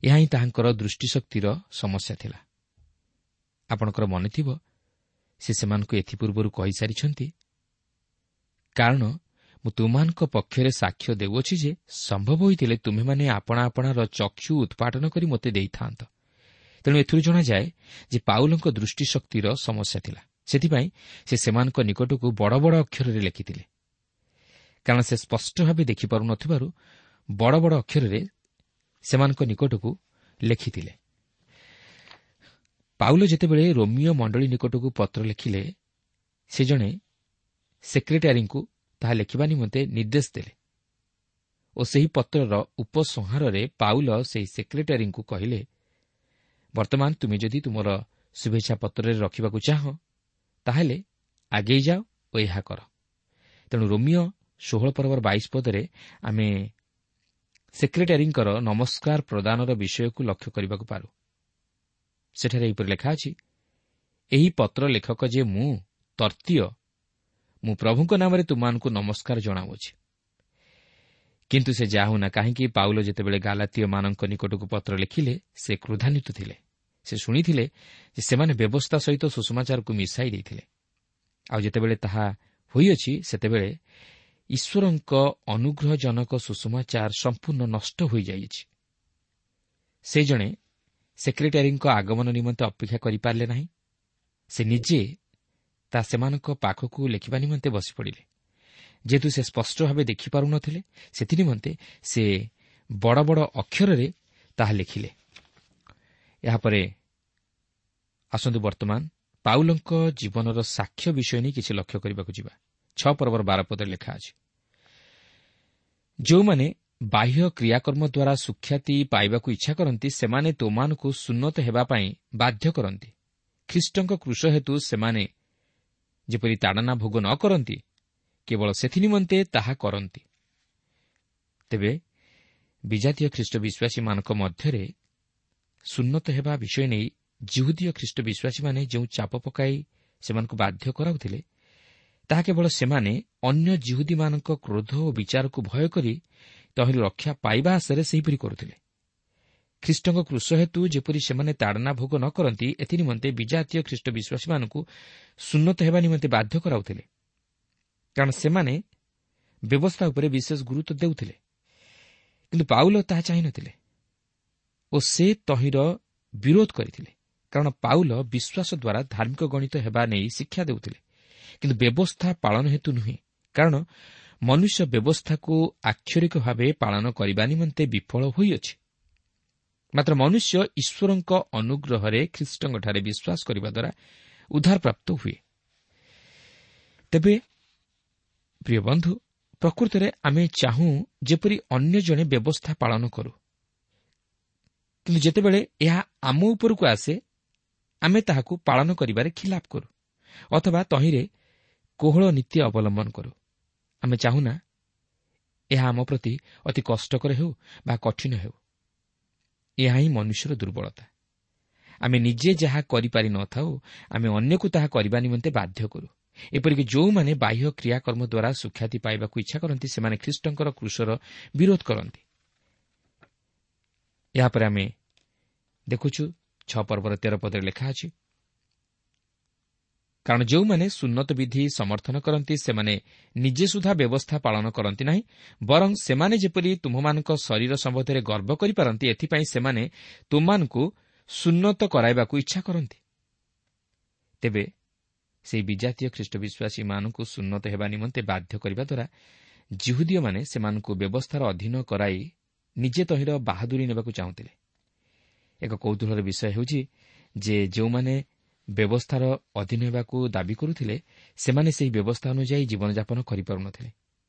ଏହା ହିଁ ତାହାଙ୍କର ଦୃଷ୍ଟିଶକ୍ତିର ସମସ୍ୟା ଥିଲା। ଆପଣଙ୍କର ମନେଥିବ, ସେ ସେମାନଙ୍କୁ ଏଥିପୂର୍ବରୁ କହିସାରିଛନ୍ତି, କାରଣ ମୁଁ ତୁମମାନଙ୍କ ପକ୍ଷରେ ସାକ୍ଷ୍ୟ ଦେଉଅଛି ଯେ ସମ୍ଭବ ହୋଇଥିଲେ ତୁମ୍ଭେମାନେ ଆପଣା ଆପଣାର ଚକ୍ଷୁ ଉତ୍ପାଟନ କରି ମୋତେ ଦେଇଥାନ୍ତ। ତେଣୁ ଏଥିରୁ ଜଣାଯାଏ ଯେ ପାଉଲଙ୍କ ଦୃଷ୍ଟିଶକ୍ତିର ସମସ୍ୟା ଥିଲା। ସେଥିପାଇଁ ସେ ସେମାନଙ୍କ ନିକଟକୁ ବଡ଼ ବଡ଼ ଅକ୍ଷରରେ ଲେଖିଥିଲେ, କାରଣ ସେ ସ୍ପଷ୍ଟ ଭାବେ ଦେଖିପାରୁନଥିବାରୁ ବଡ଼ ବଡ଼ ଅକ୍ଷରରେ ସେମାନଙ୍କ ନିକଟକୁ ଲେଖିଥିଲେ। ପାଉଲ ଯେତେବେଳେ ରୋମିଓ ମଣ୍ଡଳୀ ନିକଟକୁ ପତ୍ର ଲେଖିଲେ, ସେ ଜଣେ ସେକ୍ରେଟାରୀଙ୍କୁ ତାହା ଲେଖିବା ନିମନ୍ତେ ନିର୍ଦ୍ଦେଶ ଦେଲେ ଓ ସେହି ପତ୍ରର ଉପସଂହାରରେ ପାଉଲ ସେହି ସେକ୍ରେଟାରୀଙ୍କୁ କହିଲେ, ବର୍ତ୍ତମାନ ତୁମେ ଯଦି ତୁମର ଶୁଭେଚ୍ଛା ପତ୍ରରେ ରଖିବାକୁ ଚାହଁ, ତାହେଲେ ଆଗେଇ ଯାଅ ଓ ଏହା କର। ତେଣୁ ରୋମିଓ 16 ପର୍ବର 22 ପଦରେ ଆମେ ସେକ୍ରେଟାରୀଙ୍କର ନମସ୍କାର ପ୍ରଦାନର ବିଷୟକୁ ଲକ୍ଷ୍ୟ କରିବାକୁ ପାରୁ। ସେଠାରେ ଏହିପରି ଲେଖା ଅଛି, ଏହି ପତ୍ର ଲେଖକ ଯେ ମୁଁ ତର୍ତ୍ତୀୟ, ମୁଁ ପ୍ରଭୁଙ୍କ ନାମରେ ତୁମମାନଙ୍କୁ ନମସ୍କାର ଜଣାଉଅଛି। କିନ୍ତୁ ସେ ଯାହା ହେଉନା କାହିଁକି, ପାଉଲ ଯେତେବେଳେ ଗାଲାତୀୟମାନଙ୍କ ନିକଟକୁ ପତ୍ର ଲେଖିଲେ, ସେ କ୍ରୋଧାନ୍ୱିତ ଥିଲେ। ସେ ଶୁଣିଥିଲେ ଯେ ସେମାନେ ବ୍ୟବସ୍ଥା ସହିତ ସୁସମାଚାରକୁ ମିଶାଇ ଦେଇଥିଲେ। ଆଉ ଯେତେବେଳେ ତାହା ହୋଇଅଛି, ସେତେବେଳେ ଈଶ୍ୱରଙ୍କ ଅନୁଗ୍ରହଜନକ ସୁସମାଚାର ସମ୍ପୂର୍ଣ୍ଣ ନଷ୍ଟ ହୋଇଯାଇଛି। ସେ ଜଣେ ସେକ୍ରେଟାରୀଙ୍କ ଆଗମନ ନିମନ୍ତେ ଅପେକ୍ଷା କରିପାରିଲେ ନାହିଁ। ସେ ନିଜେ ତା ସେମାନଙ୍କ ପାଖକୁ ଲେଖିବା ନିମନ୍ତେ ବସିପଡ଼ିଲେ। ଯେହେତୁ ସେ ସ୍ପଷ୍ଟ ଭାବେ ଦେଖିପାରୁନଥିଲେ, ସେଥିନିମନ୍ତେ ସେ ବଡ଼ ବଡ଼ ଅକ୍ଷରରେ ତାହା ଲେଖିଲେ। ଏହାପରେ ଆସନ୍ତୁ ବର୍ତ୍ତମାନ ପାଉଲଙ୍କ ଜୀବନର ସାକ୍ଷ୍ୟ ବିଷୟ ନେଇ କିଛି ଲକ୍ଷ୍ୟ କରିବାକୁ ଯିବା। 6 ପର୍ବର 12 ପଦରେ ଲେଖା ଅଛି, ଯେଉଁମାନେ ବାହ୍ୟ କ୍ରିୟାକର୍ମ ଦ୍ୱାରା ସୁଖ୍ୟାତି ପାଇବାକୁ ଇଚ୍ଛା କରନ୍ତି, ସେମାନେ ତୁମମାନଙ୍କୁ ସୁନ୍ନତ ହେବା ପାଇଁ ବାଧ୍ୟ କରନ୍ତି। ଖ୍ରୀଷ୍ଟଙ୍କ କ୍ରୁଶ ହେତୁ ସେମାନେ ଯେପରି ତାଡ଼ନା ଭୋଗ ନ କରନ୍ତି, କେବଳ ସେଥିନିମନ୍ତେ ତାହା କରନ୍ତି। ତେବେ ବିଜାତୀୟ ଖ୍ରୀଷ୍ଟ ବିଶ୍ୱାସୀମାନଙ୍କ ମଧ୍ୟରେ ସୁନ୍ନତ ହେବା ବିଷୟ ନେଇ ଜିହୁଦୀୟ ଖ୍ରୀଷ୍ଟ ବିଶ୍ୱାସୀମାନେ ଯେଉଁ ଚାପ ପକାଇ ସେମାନଙ୍କୁ ବାଧ୍ୟ କରାଉଥିଲେ, ତାହା କେବଳ ସେମାନେ ଅନ୍ୟ ଜିହୁଦୀମାନଙ୍କ କ୍ରୋଧ ଓ ବିଚାରକୁ ଭୟ କରି ତହିଁରୁ ରକ୍ଷା ପାଇବା ଆଶାରେ ସେହିପରି କରୁଥିଲେ। ଖ୍ରୀଷ୍ଟଙ୍କ କ୍ରୁଶ ହେତୁ ଯେପରି ସେମାନେ ତାଡ଼ନା ଭୋଗ ନ କରନ୍ତି, ଏଥିନିମନ୍ତେ ବିଜାତୀୟ ଖ୍ରୀଷ୍ଟ ବିଶ୍ୱାସୀମାନଙ୍କୁ ସୁନ୍ନତ ହେବା ନିମନ୍ତେ ବାଧ୍ୟ କରାଉଥିଲେ, କାରଣ ସେମାନେ ବ୍ୟବସ୍ଥା ଉପରେ ବିଶେଷ ଗୁରୁତ୍ୱ ଦେଉଥିଲେ। କିନ୍ତୁ ପାଉଲ ତାହା ଚାହିଁନଥିଲେ ଓ ସେ ତହିଁର ବିରୋଧ କରିଥିଲେ, କାରଣ ପାଉଲ ବିଶ୍ୱାସ ଦ୍ୱାରା ଧାର୍ମିକ ଗଣିତ ହେବା ନେଇ ଶିକ୍ଷା ଦେଉଥିଲେ, କିନ୍ତୁ ବ୍ୟବସ୍ଥା ପାଳନ ହେତୁ ନୁହେଁ। କାରଣ ମନୁଷ୍ୟ ବ୍ୟବସ୍ଥାକୁ ଆକ୍ଷରିକ ଭାବେ ପାଳନ କରିବା ନିମନ୍ତେ ବିଫଳ ହୋଇଅଛି। ମାତ୍ର ମନୁଷ୍ୟ ଈଶ୍ୱରଙ୍କ ଅନୁଗ୍ରହରେ ଖ୍ରୀଷ୍ଟଙ୍କଠାରେ ବିଶ୍ୱାସ କରିବା ଦ୍ୱାରା ଉଦ୍ଧାରପ୍ରାପ୍ତ ହୁଏ। ତେବେ ପ୍ରିୟ ବନ୍ଧୁ, ପ୍ରକୃତରେ ଆମେ ଚାହୁଁ ଯେପରି ଅନ୍ୟ ଜଣେ ବ୍ୟବସ୍ଥା ପାଳନ କରୁ, କିନ୍ତୁ ଯେତେବେଳେ ଏହା ଆମ ଉପରକୁ ଆସେ, ଆମେ ତାହାକୁ ପାଳନ କରିବାରେ ଖିଲାପ କରୁ ଅଥବା ତହିଁରେ କୋହଳ ନୀତି ଅବଲମ୍ବନ କରୁ। ଆମେ ଚାହୁଁନା ଏହା ଆମ ପ୍ରତି ଅତି କଷ୍ଟକର ହେଉ ବା କଠିନ ହେଉ। ଏହା ହିଁ ମନୁଷ୍ୟର ଦୁର୍ବଳତା। ଆମେ ନିଜେ ଯାହା କରିପାରି ନଥାଉ, ଆମେ ଅନ୍ୟକୁ ତାହା କରିବା ନିମନ୍ତେ ବାଧ୍ୟ କରୁ। ଏପରିକି ଯେଉଁମାନେ ବାହ୍ୟ କ୍ରିୟାକର୍ମ ଦ୍ୱାରା ସୁଖ୍ୟାତି ପାଇବାକୁ ଇଚ୍ଛା କରନ୍ତି, ସେମାନେ ଖ୍ରୀଷ୍ଟଙ୍କର କ୍ରୁଶର ବିରୋଧ କରନ୍ତି। ଏହାପରେ ଆମେ ଦେଖୁଛୁ 6 ପର୍ବର 13 ପଦରେ ଲେଖା ଅଛି, କାରଣ ଯେଉଁମାନେ ସୁନ୍ନତ ବିଧି ସମର୍ଥନ କରନ୍ତି, ସେମାନେ ନିଜେ ସୁଦ୍ଧା ବ୍ୟବସ୍ଥା ପାଳନ କରନ୍ତି ନାହିଁ, ବରଂ ସେମାନେ ଯେପରି ତୁମ୍ଭମାନଙ୍କ ଶରୀର ସମ୍ବନ୍ଧରେ ଗର୍ବ କରିପାରନ୍ତି, ଏଥିପାଇଁ ସେମାନେ ତୁମମାନଙ୍କୁ ସୁନ୍ନତ କରାଇବାକୁ ଇଚ୍ଛା କରନ୍ତି। ତେବେ ସେହି ବିଜାତୀୟ ଖ୍ରୀଷ୍ଟ ବିଶ୍ୱାସୀମାନଙ୍କୁ ସୁନ୍ନତ ହେବା ନିମନ୍ତେ ବାଧ୍ୟ କରିବା ଦ୍ୱାରା ଜିହୁଦୀୟମାନେ ସେମାନଙ୍କୁ ବ୍ୟବସ୍ଥାର ଅଧୀନ କରାଇ ନିଜେ ତହିଁର ବାହାଦୁରୀ ନେବାକୁ ଚାହୁଁଥିଲେ। ଏକ କୌତୂହଳର ବିଷୟ ହେଉଛି ଯେ ଯେଉଁମାନେ ବ୍ୟବସ୍ଥାର ଅଧୀନ ହେବାକୁ ଦାବି କରୁଥିଲେ, ସେମାନେ ସେହି ବ୍ୟବସ୍ଥା ଅନୁଯାୟୀ ଜୀବନଯାପନ କରିପାରୁନଥିଲେ,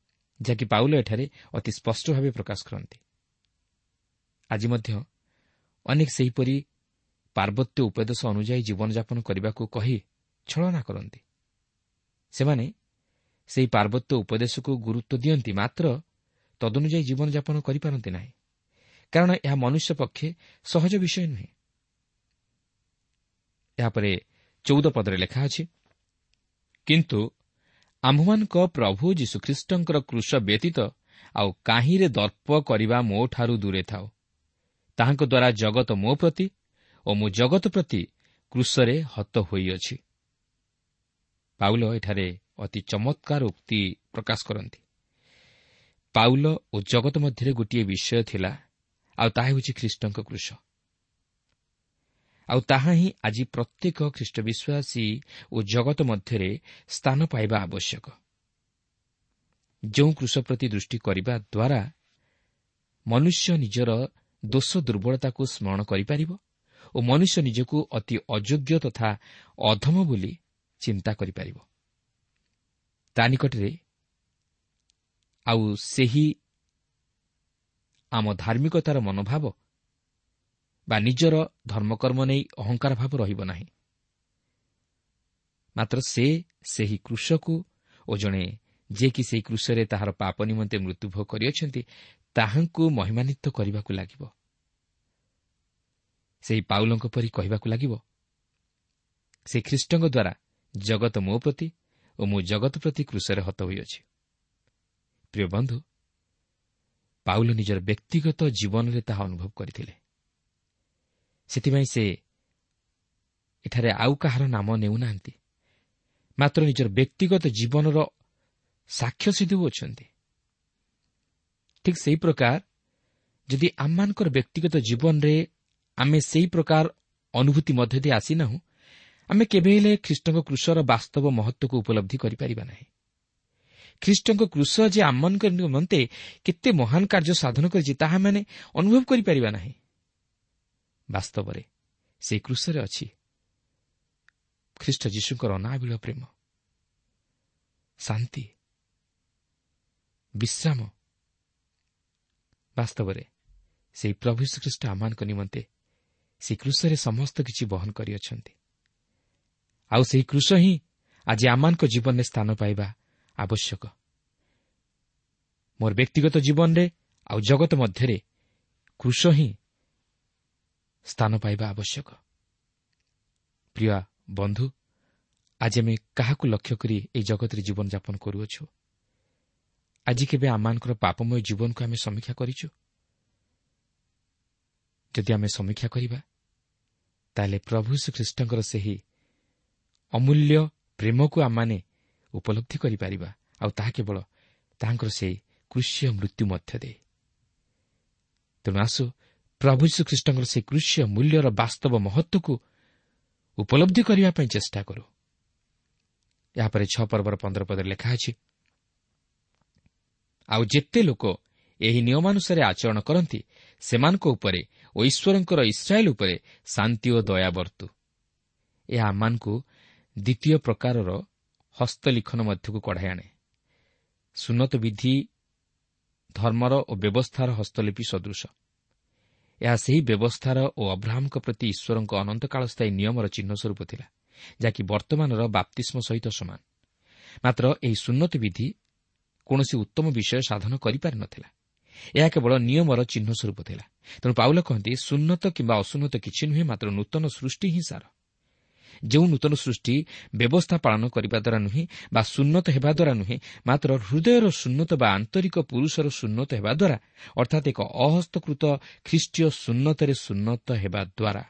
ଯାହାକି ପାଉଲ ଏଠାରେ ଅତି ସ୍ପଷ୍ଟ ଭାବେ ପ୍ରକାଶ କରନ୍ତି। ଆଜି ମଧ୍ୟ ଅନେକ ସେହିପରି ପାର୍ବତ୍ୟ ଉପଦେଶ ଅନୁଯାୟୀ ଜୀବନଯାପନ କରିବାକୁ କହି ଛଳନା କରନ୍ତି। ସେମାନେ ସେହି ପାର୍ବତ୍ୟ ଉପଦେଶକୁ ଗୁରୁତ୍ୱ ଦିଅନ୍ତି, ମାତ୍ର ତଦନୁଯାୟୀ ଜୀବନଯାପନ କରିପାରନ୍ତି ନାହିଁ, କାରଣ ଏହା ମନୁଷ୍ୟ ପକ୍ଷେ ସହଜ ବିଷୟ ନୁହେଁ। ଏହାପରେ 14 ପଦରେ ଲେଖା ଅଛି, କିନ୍ତୁ ଆମ୍ଭମାନଙ୍କ ପ୍ରଭୁ ଯୀଶୁଖ୍ରୀଷ୍ଟଙ୍କର କ୍ରୁଶ ବ୍ୟତୀତ ଆଉ କାହିଁରେ ଦର୍ପ କରିବା ମୋଠାରୁ ଦୂରେ ଥାଉ। ତାହାଙ୍କ ଦ୍ୱାରା ଜଗତ ମୋ ପ୍ରତି ଓ ମୁଁ ଜଗତ ପ୍ରତି କ୍ରୁଶରେ ହତ ହୋଇଅଛି। ପାଉଲ ଏଠାରେ ଅତି ଚମତ୍କାର ଉକ୍ତି ପ୍ରକାଶ କରନ୍ତି। ପାଉଲ ଓ ଜଗତ ମଧ୍ୟରେ ଗୋଟିଏ ବିଷୟ ଥିଲା, ଆଉ ତାହା ହେଉଛି ଖ୍ରୀଷ୍ଟଙ୍କ କ୍ରୁଶ। ଆଉ ତାହା ହିଁ ଆଜି ପ୍ରତ୍ୟେକ ଖ୍ରୀଷ୍ଟ ବିଶ୍ୱାସୀ ଓ ଜଗତ ମଧ୍ୟରେ ସ୍ଥାନ ପାଇବା ଆବଶ୍ୟକ। ଯେଉଁ କ୍ରୁଶ ପ୍ରତି ଦୃଷ୍ଟି କରିବା ଦ୍ୱାରା ମନୁଷ୍ୟ ନିଜର ଦୋଷ ଦୁର୍ବଳତାକୁ ସ୍ମରଣ କରିପାରିବ ଓ ମନୁଷ୍ୟ ନିଜକୁ ଅତି ଅଯୋଗ୍ୟ ତଥା ଅଧମ ବୋଲି ଚିନ୍ତା କରିପାରିବ। ତା ନିକଟରେ ଆଉ ସେହି ଆମ ଧାର୍ମିକତାର ମନୋଭାବ ବା ନିଜର ଧର୍ମକର୍ମ ନେଇ ଅହଙ୍କାର ଭାବ ରହିବ ନାହିଁ। ମାତ୍ର ସେ ସେହି କୃଷକୁ ଓ ଜଣେ ଯିଏକି ସେହି କୃଷରେ ତାହାର ପାପ ନିମନ୍ତେ ମୃତ୍ୟୁଭୋଗ କରିଅଛନ୍ତି, ତାହାଙ୍କୁ ମହିମାନ୍ୱିତ କରିବାକୁ ଲାଗିବ। ସେହି ପାଉଲଙ୍କ ପରି କହିବାକୁ ଲାଗିବ, ସେ ଖ୍ରୀଷ୍ଟଙ୍କ ଦ୍ୱାରା ଜଗତ ମୋ ପ୍ରତି ଓ ମୁଁ ଜଗତ ପ୍ରତି କୃଷରେ ହତ ହୋଇଅଛି। ପ୍ରିୟ ବନ୍ଧୁ, ପାଉଲ ନିଜର ବ୍ୟକ୍ତିଗତ ଜୀବନରେ ତାହା ଅନୁଭବ କରିଥିଲେ। ସେଥିପାଇଁ ସେ ଏଠାରେ ଆଉ କାହାର ନାମ ନେଉନାହାନ୍ତି, ମାତ୍ର ନିଜର ବ୍ୟକ୍ତିଗତ ଜୀବନର ସାକ୍ଷ୍ୟ ସେ ଦେଉଅଛନ୍ତି। ଠିକ୍ ସେହି ପ୍ରକାର ଯଦି ଆମମାନଙ୍କର ବ୍ୟକ୍ତିଗତ ଜୀବନରେ ଆମେ ସେହି ପ୍ରକାର ଅନୁଭୂତି ମଧ୍ୟ ଦେଇ ଆସିନାହୁଁ, ଆମେ କେବେ ହେଲେ ଖ୍ରୀଷ୍ଟଙ୍କ କ୍ରୁଶର ବାସ୍ତବ ମହତ୍ତ୍ୱକୁ ଉପଲବ୍ଧି କରିପାରିବା ନାହିଁ। ଖ୍ରୀଷ୍ଟଙ୍କ କ୍ରୁଶ ଯେ ଆମମାନଙ୍କ ନିମନ୍ତେ କେତେ ମହାନ କାର୍ଯ୍ୟ ସାଧନ କରିଛି, ତାହା ଆମେ ଅନୁଭବ କରିପାରିବା ନାହିଁ। ବାସ୍ତବରେ ସେହି କ୍ରୁଶରେ ଅଛି ଖ୍ରୀଷ୍ଟ ଯୀଶୁଙ୍କର ଅନାବିଳ ପ୍ରେମ, ଶାନ୍ତି, ବିଶ୍ରାମ। ବାସ୍ତବରେ ସେହି ପ୍ରଭୁ ଯୀଶୁଖ୍ରୀଷ୍ଟ ଆମମାନଙ୍କ ନିମନ୍ତେ ସେହି କ୍ରୁଶରେ ସମସ୍ତ କିଛି ବହନ କରିଅଛନ୍ତି। ଆଉ ସେହି କ୍ରୁଶ ହିଁ ଆଜି ଆମମାନଙ୍କ ଜୀବନରେ ସ୍ଥାନ ପାଇବା ଆବଶ୍ୟକ। ମୋର ବ୍ୟକ୍ତିଗତ ଜୀବନରେ ଆଉ ଜଗତ ମଧ୍ୟରେ କ୍ରୁଶ ହିଁ ସ୍ଥାନ ପାଇବା ଆବଶ୍ୟକ। ପ୍ରିୟ ବନ୍ଧୁ, ଆଜି ଆମେ କାହାକୁ ଲକ୍ଷ୍ୟ କରି ଏହି ଜଗତରେ ଜୀବନଯାପନ କରୁଅଛୁ? ଆଜି କେବେ ଆମମାନଙ୍କର ପାପମୟ ଜୀବନକୁ ଆମେ ସମୀକ୍ଷା କରିଛୁ? ଯଦି ଆମେ ସମୀକ୍ଷା କରିବା, ତାହେଲେ ପ୍ରଭୁ ଯୀଶୁଖ୍ରୀଷ୍ଟଙ୍କର ସେହି ଅମୂଲ୍ୟ ପ୍ରେମକୁ ଆମମାନେ ଉପଲବ୍ଧି କରିପାରିବା, ଆଉ ତାହା କେବଳ ତାହାଙ୍କର ସେହି କୃଷ୍ୟ ମୃତ୍ୟୁ ମଧ୍ୟ ଦେଇ। ତେଣୁ ଆସୁ ପ୍ରଭୁ ଯୀଶୁଖ୍ରୀଷ୍ଟଙ୍କର ସେହି କୃଷ୍ୟ ମୂଲ୍ୟର ବାସ୍ତବ ମହତ୍ତ୍ୱକୁ ଉପଲବ୍ଧି କରିବା ପାଇଁ ଚେଷ୍ଟା କରୁ। ଏହାପରେ 6 ପର୍ବର 15 ପଦରେ ଲେଖା ଅଛି, ଆଉ ଯେତେ ଲୋକ ଏହି ନିୟମାନୁସାରେ ଆଚରଣ କରନ୍ତି, ସେମାନଙ୍କ ଉପରେ ଓ ଈଶ୍ୱରଙ୍କର ଇସ୍ରାଏଲ ଉପରେ ଶାନ୍ତି ଓ ଦୟା ବର୍ତ୍ତୁ। ଏହା ଆମମାନଙ୍କୁ ଦ୍ୱିତୀୟ ପ୍ରକାରର ହସ୍ତଲିଖନ ମଧ୍ୟକୁ କଢ଼ାଇ ଆଣେ। ସୁନ୍ନତ ବିଧି ଧର୍ମର ଓ ବ୍ୟବସ୍ଥାର ହସ୍ତଲିପି ସଦୃଶ। ଏହା ସେହି ବ୍ୟବସ୍ଥାର ଓ ଅବ୍ରାହ୍ମଙ୍କ ପ୍ରତି ଈଶ୍ୱରଙ୍କ ଅନନ୍ତକାଳସ୍ଥାୟୀ ନିୟମର ଚିହ୍ନ ସ୍ୱରୂପ ଥିଲା, ଯାହାକି ବର୍ତ୍ତମାନର ବାପ୍ତିସ୍ମ ସହିତ ସମାନ। ମାତ୍ର ଏହି ସୁନ୍ନତ ବିଧି କୌଣସି ଉତ୍ତମ ବିଷୟ ସାଧନ କରିପାରିନଥିଲା। ଏହା କେବଳ ନିୟମର ଚିହ୍ନ ସ୍ୱରୂପ ଥିଲା। ତେଣୁ ପାଉଲ କହନ୍ତି, ସୁନ୍ନତ କିମ୍ବା ଅସୁନ୍ନତ କିଛି ନୁହେଁ, ମାତ୍ର ନୂତନ ସୃଷ୍ଟି ହିଁ ସାର। ଯେଉଁ ନୂତନ ସୃଷ୍ଟି ବ୍ୟବସ୍ଥା ପାଳନ କରିବା ଦ୍ୱାରା ନୁହେଁ ବା ସୁନ୍ନତ ହେବା ଦ୍ୱାରା ନୁହେଁ, ମାତ୍ର ହୃଦୟର ସୁନ୍ନତ ବା ଆନ୍ତରିକ ପୁରୁଷର ସୁନ୍ନତ ହେବା ଦ୍ୱାରା, ଅର୍ଥାତ୍ ଏକ ଅହସ୍ତକୃତ ଖ୍ରୀଷ୍ଟୀୟ ସୁନ୍ନତରେ ସୁନ୍ନତ ହେବା ଦ୍ୱାରା,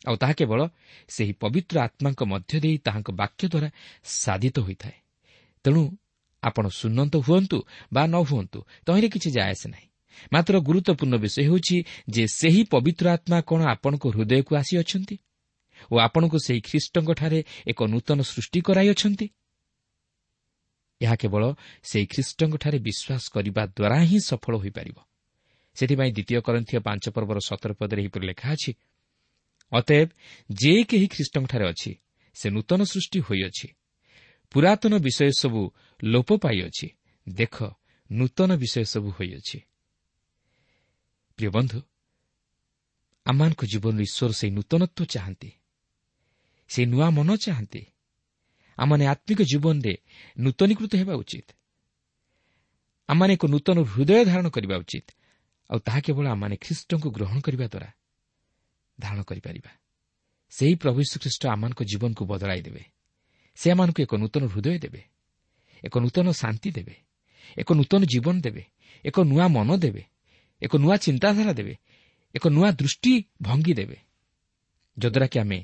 ଆଉ ତାହା କେବଳ ସେହି ପବିତ୍ର ଆତ୍ମାଙ୍କ ମଧ୍ୟ ଦେଇ ତାହାଙ୍କ ବାକ୍ୟ ଦ୍ୱାରା ସାଧିତ ହୋଇଥାଏ। ତେଣୁ ଆପଣ ସୁନ୍ନତ ହୁଅନ୍ତୁ ବା ନ ହୁଅନ୍ତୁ, ତହିଁରେ କିଛି ଯାଏ ଆସେ ନାହିଁ। ମାତ୍ର ଗୁରୁତ୍ୱପୂର୍ଣ୍ଣ ବିଷୟ ହେଉଛି ଯେ ସେହି ପବିତ୍ର ଆତ୍ମା କ'ଣ ଆପଣଙ୍କ ହୃଦୟକୁ ଆସିଅଛନ୍ତି ଓ ଆପଣଙ୍କୁ ସେହି ଖ୍ରୀଷ୍ଟଙ୍କଠାରେ ଏକ ନୂତନ ସୃଷ୍ଟି କରାଇଅଛନ୍ତି। ଏହା କେବଳ ସେହି ଖ୍ରୀଷ୍ଟଙ୍କଠାରେ ବିଶ୍ୱାସ କରିବା ଦ୍ୱାରା ହିଁ ସଫଳ ହୋଇପାରିବ। ସେଥିପାଇଁ ଦ୍ୱିତୀୟ କରିନ୍ଥୀୟ 5 ପର୍ବର 17 ପଦରେ ଏହିପରି ଲେଖା ଅଛି, ଅତଏବ ଯେ କେହି ଖ୍ରୀଷ୍ଟଙ୍କଠାରେ ଅଛି, ସେ ନୂତନ ସୃଷ୍ଟି ହୋଇଅଛି, ପୁରାତନ ବିଷୟ ସବୁ ଲୋପ ପାଇଅଛି, ଦେଖ ନୂତନ ବିଷୟ ସବୁ ହୋଇଅଛି। ପ୍ରିୟ ବନ୍ଧୁ, ଆମମାନଙ୍କ ଜୀବନରେ ଈଶ୍ୱର ସେହି ନୂତନତ୍ୱ ଚାହାନ୍ତି, ସେ ନୂଆ ମନ ଚାହାନ୍ତି। ଆମମାନେ ଆତ୍ମିକ ଜୀବନରେ ନୂତନୀକୃତ ହେବା ଉଚିତ। ଆମମାନେ ଏକ ନୂତନ ହୃଦୟ ଧାରଣ କରିବା ଉଚିତ, ଆଉ ତାହା କେବଳ ଆମମାନେ ଖ୍ରୀଷ୍ଟଙ୍କୁ ଗ୍ରହଣ କରିବା ଦ୍ୱାରା ଧାରଣ କରିପାରିବା। ସେହି ପ୍ରଭୁ ଯୀଶୁଖ୍ରୀଷ୍ଟ ଆମମାନଙ୍କ ଜୀବନକୁ ବଦଳାଇ ଦେବେ। ସେ ଆମମାନଙ୍କୁ ଏକ ନୂତନ ହୃଦୟ ଦେବେ, ଏକ ନୂତନ ଶାନ୍ତି ଦେବେ, ଏକ ନୂତନ ଜୀବନ ଦେବେ, ଏକ ନୂଆ ମନ ଦେବେ, ଏକ ନୂଆ ଚିନ୍ତାଧାରା ଦେବେ, ଏକ ନୂଆ ଦୃଷ୍ଟିଭଙ୍ଗୀ ଦେବେ, ଯଦ୍ୱାରା କି ଆମେ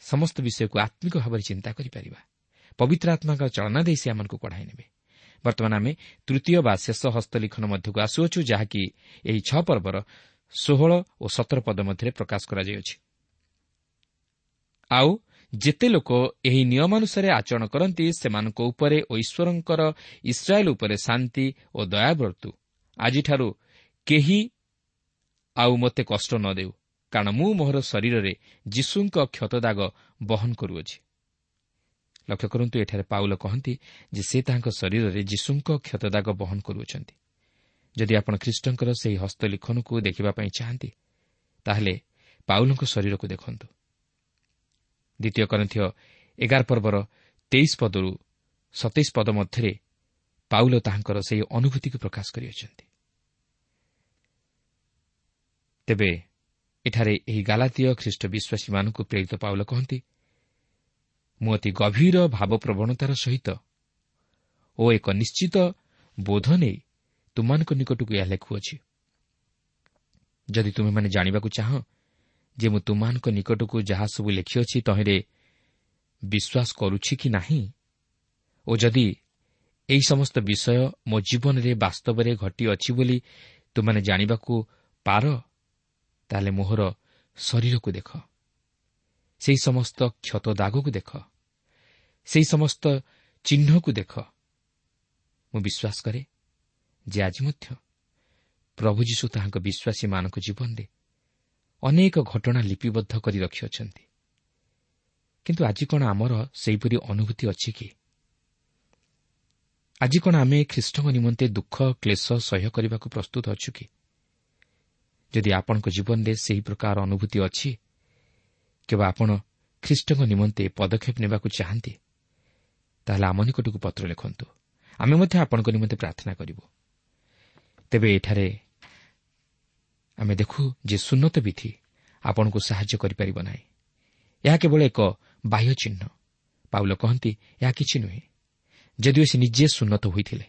ସମସ୍ତ ବିଷୟକୁ ଆତ୍ମିକ ଭାବରେ ଚିନ୍ତା କରିପାରିବା। ପବିତ୍ର ଆତ୍ମାଙ୍କ ଚାଳନା ଦେଇ ସେ ଆମମାନଙ୍କୁ କଢ଼ାଇ ନେବେ। ବର୍ତ୍ତମାନ ଆମେ ତୃତୀୟ ବା ଶେଷ ହସ୍ତଲିଖନ ମଧ୍ୟକୁ ଆସୁଅଛୁ, ଯାହାକି ଏହି 6 ପର୍ବର 16 ଓ 17 ପଦ ମଧ୍ୟରେ ପ୍ରକାଶ କରାଯାଇଅଛି। ଆଉ ଯେତେ ଲୋକ ଏହି ନିୟମାନୁସାରେ ଆଚରଣ କରନ୍ତି, ସେମାନଙ୍କ ଉପରେ ଓ ଈଶ୍ୱରଙ୍କର ଇସ୍ରାଏଲ ଉପରେ ଶାନ୍ତି ଓ ଦୟା ବର୍ତ୍ତୁ। ଆଜିଠାରୁ କେହି ଆଉ ମୋତେ କଷ୍ଟ ନ ଦେଉ, କାରଣ ମୁଁ ମୋହର ଶରୀରରେ ଯୀଶୁଙ୍କ କ୍ଷତଦାଗ ବହନ କରୁଅଛି। ଲକ୍ଷ୍ୟ କରନ୍ତୁ, ଏଠାରେ ପାଉଲ କହନ୍ତି ଯେ ସେ ତାହାଙ୍କ ଶରୀରରେ ଯୀଶୁଙ୍କ କ୍ଷତଦାଗ ବହନ କରୁଅଛନ୍ତି। ଯଦି ଆପଣ ଖ୍ରୀଷ୍ଟଙ୍କର ସେହି ହସ୍ତଲିଖନକୁ ଦେଖିବା ପାଇଁ ଚାହାନ୍ତି, ତାହେଲେ ପାଉଲଙ୍କ ଶରୀରକୁ ଦେଖନ୍ତୁ। ଦ୍ୱିତୀୟ କରିନ୍ଥୀୟ 11 ପର୍ବର 23 ପଦରୁ 27 ପଦ ମଧ୍ୟରେ ପାଉଲ ତାହାଙ୍କର ସେହି ଅନୁଭୂତିକୁ ପ୍ରକାଶ କରିଅଛନ୍ତି। ତେବେ ଏଠାରେ ଏହି ଗାଲାତୀୟ ଖ୍ରୀଷ୍ଟ ବିଶ୍ୱାସୀମାନଙ୍କୁ ପ୍ରେରିତ ପାଉଲ କହନ୍ତି, ମୁଁ ଅତି ଗଭୀର ଭାବପ୍ରବଣତାର ସହିତ ଓ ଏକ ନିଶ୍ଚିତ ବୋଧ ନେଇ ତୁମମାନଙ୍କ ନିକଟକୁ ଏହା ଲେଖୁଅଛି। ଯଦି ତୁମେମାନେ ଜାଣିବାକୁ ଚାହଁ ଯେ ମୁଁ ତୁମମାନଙ୍କ ନିକଟକୁ ଯାହା ସବୁ ଲେଖିଅଛି ତହିଁରେ ବିଶ୍ୱାସ କରୁଛି କି ନାହିଁ, ଓ ଯଦି ଏହି ସମସ୍ତ ବିଷୟ ମୋ ଜୀବନରେ ବାସ୍ତବରେ ଘଟିଅଛି ବୋଲି ତୁମେ ଜାଣିବାକୁ ପାର, ତାହେଲେ ମୋହର ଶରୀରକୁ ଦେଖ, ସେହି ସମସ୍ତ କ୍ଷତ ଦାଗକୁ ଦେଖ, ସେହି ସମସ୍ତ ଚିହ୍ନକୁ ଦେଖ। ମୁଁ ବିଶ୍ୱାସ କରେ ଯେ ଆଜି ମଧ୍ୟ ପ୍ରଭୁ ଯୀଶୁ ତାହାଙ୍କ ବିଶ୍ୱାସୀମାନଙ୍କ ଜୀବନରେ ଅନେକ ଘଟଣା ଲିପିବଦ୍ଧ କରି ରଖିଅଛନ୍ତି। କିନ୍ତୁ ଆଜି କ'ଣ ଆମର ସେହିପରି ଅନୁଭୂତି ଅଛି କି? ଆଜି କ'ଣ ଆମେ ଖ୍ରୀଷ୍ଟଙ୍କ ନିମନ୍ତେ ଦୁଃଖ କ୍ଲେଶ ସହ୍ୟ କରିବାକୁ ପ୍ରସ୍ତୁତ ଅଛୁ କି? ଯଦି ଆପଣଙ୍କ ଜୀବନରେ ସେହି ପ୍ରକାର ଅନୁଭୂତି ଅଛି କିମ୍ବା ଆପଣ ଖ୍ରୀଷ୍ଟଙ୍କ ନିମନ୍ତେ ପଦକ୍ଷେପ ନେବାକୁ ଚାହାନ୍ତି, ତାହେଲେ ଆମ ନିକଟକୁ ପତ୍ର ଲେଖନ୍ତୁ। ଆମେ ମଧ୍ୟ ଆପଣଙ୍କ ନିମନ୍ତେ ପ୍ରାର୍ଥନା କରିବୁ। ତେବେ ଏଠାରେ ଆମେ ଦେଖୁ ଯେ ସୁନ୍ନତ ବିଧି ଆପଣଙ୍କୁ ସାହାଯ୍ୟ କରିପାରିବ ନାହିଁ। ଏହା କେବଳ ଏକ ବାହ୍ୟ ଚିହ୍ନ। ପାଉଲ କହନ୍ତି, ଏହା କିଛି ନୁହେଁ। ଯଦିଓ ସେ ନିଜେ ସୁନ୍ନତ ହୋଇଥିଲେ,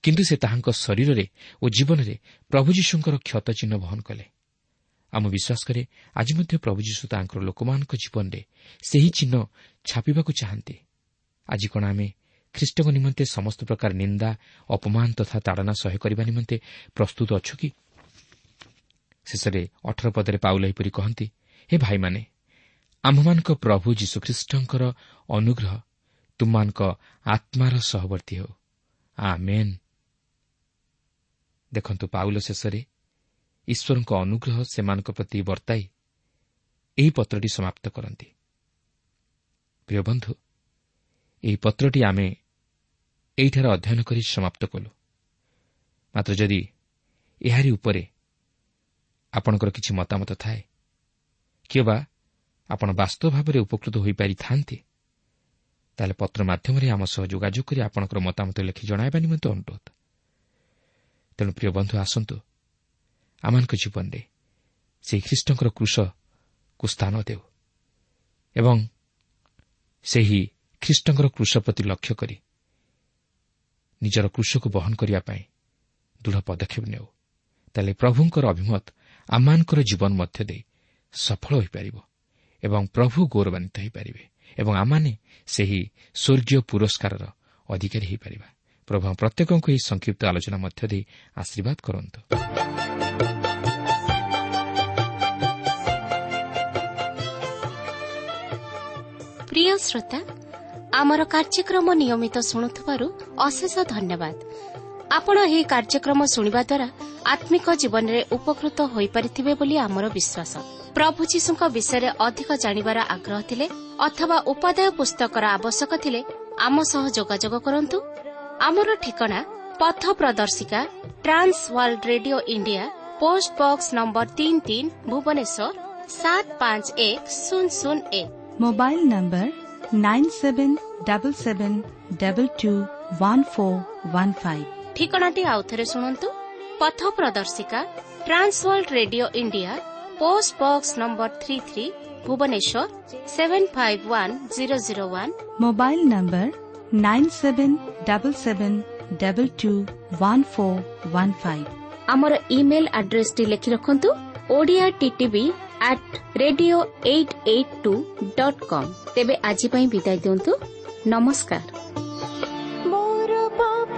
କିନ୍ତୁ ସେ ତାହାଙ୍କ ଶରୀରରେ ଓ ଜୀବନରେ ପ୍ରଭୁ ଯୀଶୁଙ୍କର କ୍ଷତ ଚିହ୍ନ ବହନ କଲେ। ଆମ ବିଶ୍ୱାସ କରେ ଆଜି ମଧ୍ୟ ପ୍ରଭୁ ଯୀଶୁ ତାଙ୍କର ଲୋକମାନଙ୍କ ଜୀବନରେ ସେହି ଚିହ୍ନ ଛାପିବାକୁ ଚାହାନ୍ତି। ଆଜି କ'ଣ ଆମେ ଖ୍ରୀଷ୍ଟଙ୍କ ନିମନ୍ତେ ସମସ୍ତ ପ୍ରକାର ନିନ୍ଦା, ଅପମାନ ତଥା ତାଡ଼ନା ସହ୍ୟ କରିବା ନିମନ୍ତେ ପ୍ରସ୍ତୁତ ଅଛୁ କି? ଶେଷରେ 18 ପଦରେ ପାଉଲ ଏହିପରି କହନ୍ତି, ହେ ଭାଇମାନେ, ଆମ୍ଭମାନଙ୍କ ପ୍ରଭୁ ଯୀଶୁଖ୍ରୀଷ୍ଟଙ୍କର ଅନୁଗ୍ରହ ତୁମମାନଙ୍କ ଆତ୍ମାର ସହବର୍ତ୍ତୀ ହେଉ। ଆମେନ୍। ଦେଖନ୍ତୁ, ପାଉଲ ଶେଷରେ ଈଶ୍ୱରଙ୍କ ଅନୁଗ୍ରହ ସେମାନଙ୍କ ପ୍ରତି ବର୍ତ୍ତାଇ ଏହି ପତ୍ରଟି ସମାପ୍ତ କରନ୍ତି। ପ୍ରିୟ ବନ୍ଧୁ, ଏହି ପତ୍ରଟି ଆମେ ଏହିଠାରେ ଅଧ୍ୟୟନ କରି ସମାପ୍ତ କଲୁ। ମାତ୍ର ଯଦି ଏହାରି ଉପରେ ଆପଣଙ୍କର କିଛି ମତାମତ ଥାଏ କିମ୍ବା ଆପଣ ବାସ୍ତବ ଭାବରେ ଉପକୃତ ହୋଇପାରିଥାନ୍ତି, ତାହେଲେ ପତ୍ର ମାଧ୍ୟମରେ ଆମ ସହ ଯୋଗାଯୋଗ କରି ଆପଣଙ୍କର ମତାମତ ଲେଖି ଜଣାଇବା ନିମନ୍ତେ ଅନୁରୋଧ। ତେଣୁ ପ୍ରିୟ ବନ୍ଧୁ, ଆସନ୍ତୁ ଆମମାନଙ୍କ ଜୀବନରେ ସେହି ଖ୍ରୀଷ୍ଟଙ୍କର କ୍ରୁଶକୁ ସ୍ଥାନ ଦେଉ ଏବଂ ସେହି ଖ୍ରୀଷ୍ଟଙ୍କର କ୍ରୁଶ ପ୍ରତି ଲକ୍ଷ୍ୟ କରି ନିଜର କ୍ରୁଶକୁ ବହନ କରିବା ପାଇଁ ଦୃଢ଼ ପଦକ୍ଷେପ ନେଉ। ତାହେଲେ ପ୍ରଭୁଙ୍କର ଅଭିମତ ଆମମାନଙ୍କର ଜୀବନ ମଧ୍ୟ ଦେଇ ସଫଳ ହୋଇପାରିବ ଏବଂ ପ୍ରଭୁ ଗୌରବାନ୍ୱିତ ହୋଇପାରିବେ ଏବଂ ଆମମାନେ ସେହି ସ୍ୱର୍ଗୀୟ ପୁରସ୍କାରର ଅଧିକାରୀ ହୋଇପାରିବା। ପ୍ରଭୁ ପ୍ରତ୍ୟେକଙ୍କୁ ଏହି ସଂକ୍ଷିପ୍ତ ଆଲୋଚନା ମଧ୍ୟ ଦେଇ ଆଶୀର୍ବାଦ କରନ୍ତୁ। ପ୍ରିୟ ଶ୍ରୋତା, ଆମର କାର୍ଯ୍ୟକ୍ରମ ନିୟମିତ ଶୁଣୁଥିବାରୁ ଅଶେଷ ଧନ୍ୟବାଦ। ଆପଣ ଏହି କାର୍ଯ୍ୟକ୍ରମ ଶୁଣିବା ଦ୍ୱାରା ଆତ୍ମିକ ଜୀବନରେ ଉପକୃତ ହୋଇପାରିଥିବେ ବୋଲି ଆମର ବିଶ୍ୱାସ। ପ୍ରଭୁ ଯୀଶୁଙ୍କ ବିଷୟରେ ଅଧିକ ଜାଣିବାର ଆଗ୍ରହ ଥିଲେ ଅଥବା ଉପାଦେୟ ପୁସ୍ତକର ଆବଶ୍ୟକ ଥିଲେ ଆମ ସହ ଯୋଗାଯୋଗ କରନ୍ତୁ। ଆମର ଠିକଣା ପଥ ପ୍ରଦର୍ଶିକା, Trans World Radio India, post box number 33, Bhubaneswar 751001। Mobile number 9777221415। ଠିକଣାଟି ଆଉଥରେ ଶୁଣନ୍ତୁ। ପଥ ପ୍ରଦର୍ଶିକା, Trans World Radio India, post box number 33, Bhubaneswar 751001। Mobile number 9777221415। ଆମର ଇମେଲ୍ ଆଡ୍ରେସଟି ଲେଖି ରଖନ୍ତୁ, Odia TTV at radio 882.com। ତେବେ ଆଜି ପାଇଁ ବିଦାୟ ଦିଅନ୍ତୁ। ନମସ୍କାର। ମୋର ପାପ